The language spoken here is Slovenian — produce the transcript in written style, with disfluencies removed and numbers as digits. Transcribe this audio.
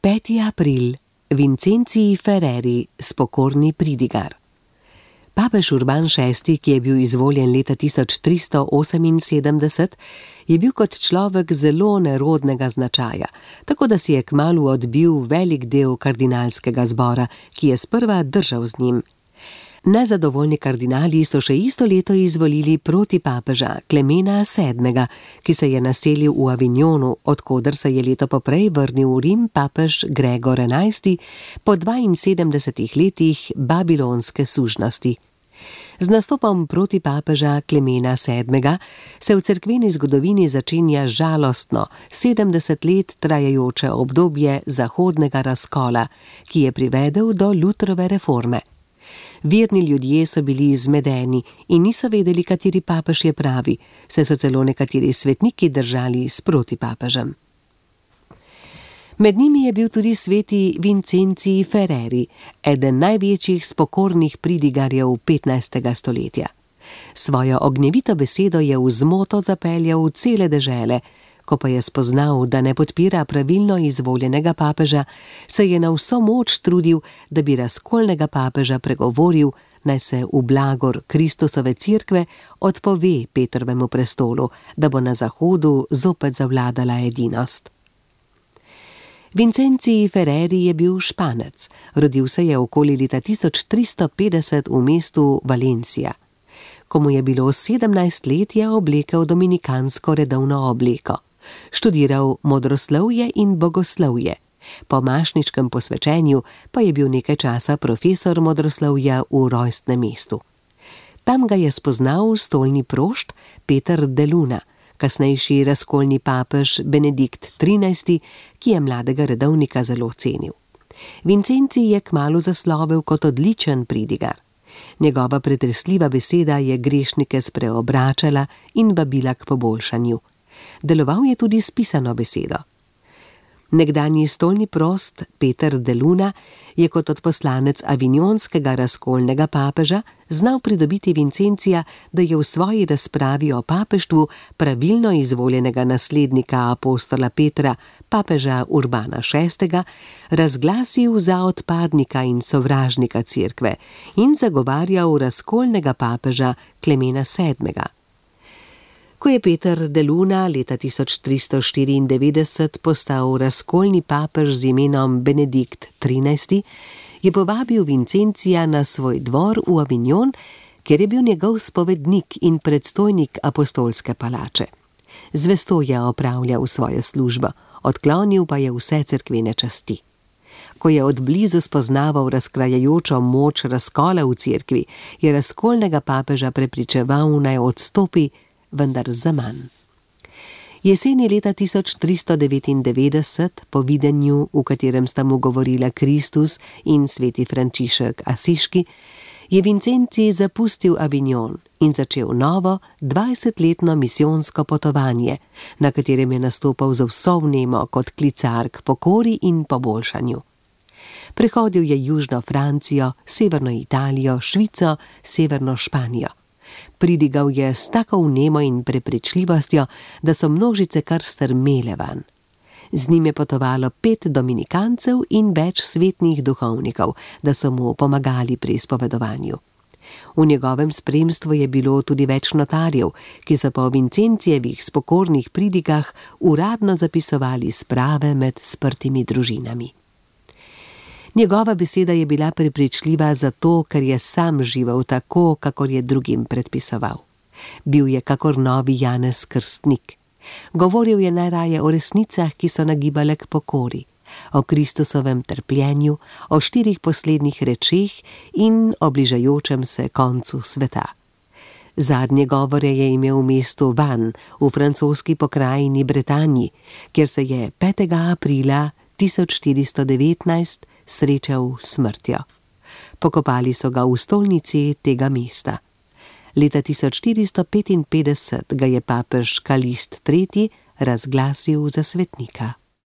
5. april. Vincencij Ferreri, spokorni pridigar. Papež Urban VI., ki je bil izvoljen leta 1378, je bil kot človek zelo nerodnega značaja, tako da si je kmalu odbil velik del kardinalskega zbora, ki je sprva držal z njim. Nezadovoljni kardinali so še isto leto izvolili protipapeža Klemena VII., ki se je naselil v Avignonu, od koder se je leto poprej vrnil v Rim papež Gregor XI. Po 72 letih babilonske sužnosti. Z nastopom protipapeža Klemena VII. Se v cerkveni zgodovini začenja žalostno 70 let trajajoče obdobje zahodnega razkola, ki je privedel do Lutrove reforme. Verni ljudje so bili zmedeni in niso vedeli, kateri papež je pravi, saj so celo nekateri svetniki držali s protipapežem. Med njimi je bil tudi sveti Vincencij Ferreri, eden največjih spokornih pridigarjev 15. stoletja. Svojo ognjevito besedo je v zmoto zapeljal v cele dežele, ko pa je spoznal, da ne podpira pravilno izvoljenega papeža, se je na vso moč trudil, da bi razkolnega papeža pregovoril, naj se v blagor Kristusove cerkve odpove Petrovemu prestolu, da bo na Zahodu zopet zavladala edinost. Vincencij Ferreri je bil Španec, rodil se je okoli leta 1350 v mestu Valencia. Ko mu je bilo 17 let, je oblekel dominikansko redovno obleko. Študiral modroslovje in bogoslovje. Po mašničkem posvečenju pa je bil nekaj časa profesor modroslovja v rojstnem mestu. Tam ga je spoznal stolni prošt Peter de Luna, kasnejši razkolni papež Benedikt XIII., ki je mladega redovnika zelo cenil. Vincencij je kmalu zaslovel kot odličen pridigar. Njegova pretresljiva beseda je grešnike spreobračala in vabila k poboljšanju. Deloval je tudi s pisano besedo. Nekdanji stolni prost Peter de Luna je kot odposlanec avignonskega razkolnega papeža znal pridobiti Vincencija, da je v svoji razpravi o papeštvu pravilno izvoljenega naslednika apostola Petra, papeža Urbana VI., razglasil za odpadnika in sovražnika cerkve in zagovarjal razkolnega papeža Klemena VII. Ko je Peter de Luna leta 1394 postal razkolni papež z imenom Benedikt XIII., je povabil Vincencija na svoj dvor v Avignon, kjer je bil njegov spovednik in predstojnik apostolske palače. Zvesto je opravljal svojo službo, odklonil pa je vse cerkvene časti. Ko je od blizu spoznaval razkrajajočo moč razkola v cerkvi, je razkolnega papeža prepričeval, naj odstopi, vendar zaman. Jeseni leta 1399, po videnju, v katerem sta mu govorila Kristus in sveti Frančišek Asiški, je Vincencij zapustil Avignon in začel novo 20-letno misijonsko potovanje, na katerem je nastopal z vso vnemo kot klicar k pokori in poboljšanju. Prehodil je južno Francijo, severno Italijo, Švico, severno Španijo. Pridigal je s tako vnemo in prepričljivostjo, da so množice kar strmele van. Z njim je potovalo 5 dominikancev in več svetnih duhovnikov, da so mu pomagali pri izpovedovanju. V njegovem spremstvu je bilo tudi več notarjev, ki so po Vincencijevih spokornih pridigah uradno zapisovali sprave med sprtimi družinami. Njegova beseda je bila prepričljiva zato, ker je sam živel tako, kakor je drugim predpisoval. Bil je kakor novi Janez Krstnik. Govoril je najraje o resnicah, ki so nagibale k pokori, o Kristusovem trpljenju, o 4 poslednjih rečeh in o bližajočem se koncu sveta. Zadnje govore je imel v mestu Vannes v francoski pokrajini Bretanji, kjer se je 5. aprila 1419 srečal s smrtjo. Pokopali so ga v stolnici tega mesta. Leta 1455 ga je papež Kalist III. Razglasil za svetnika.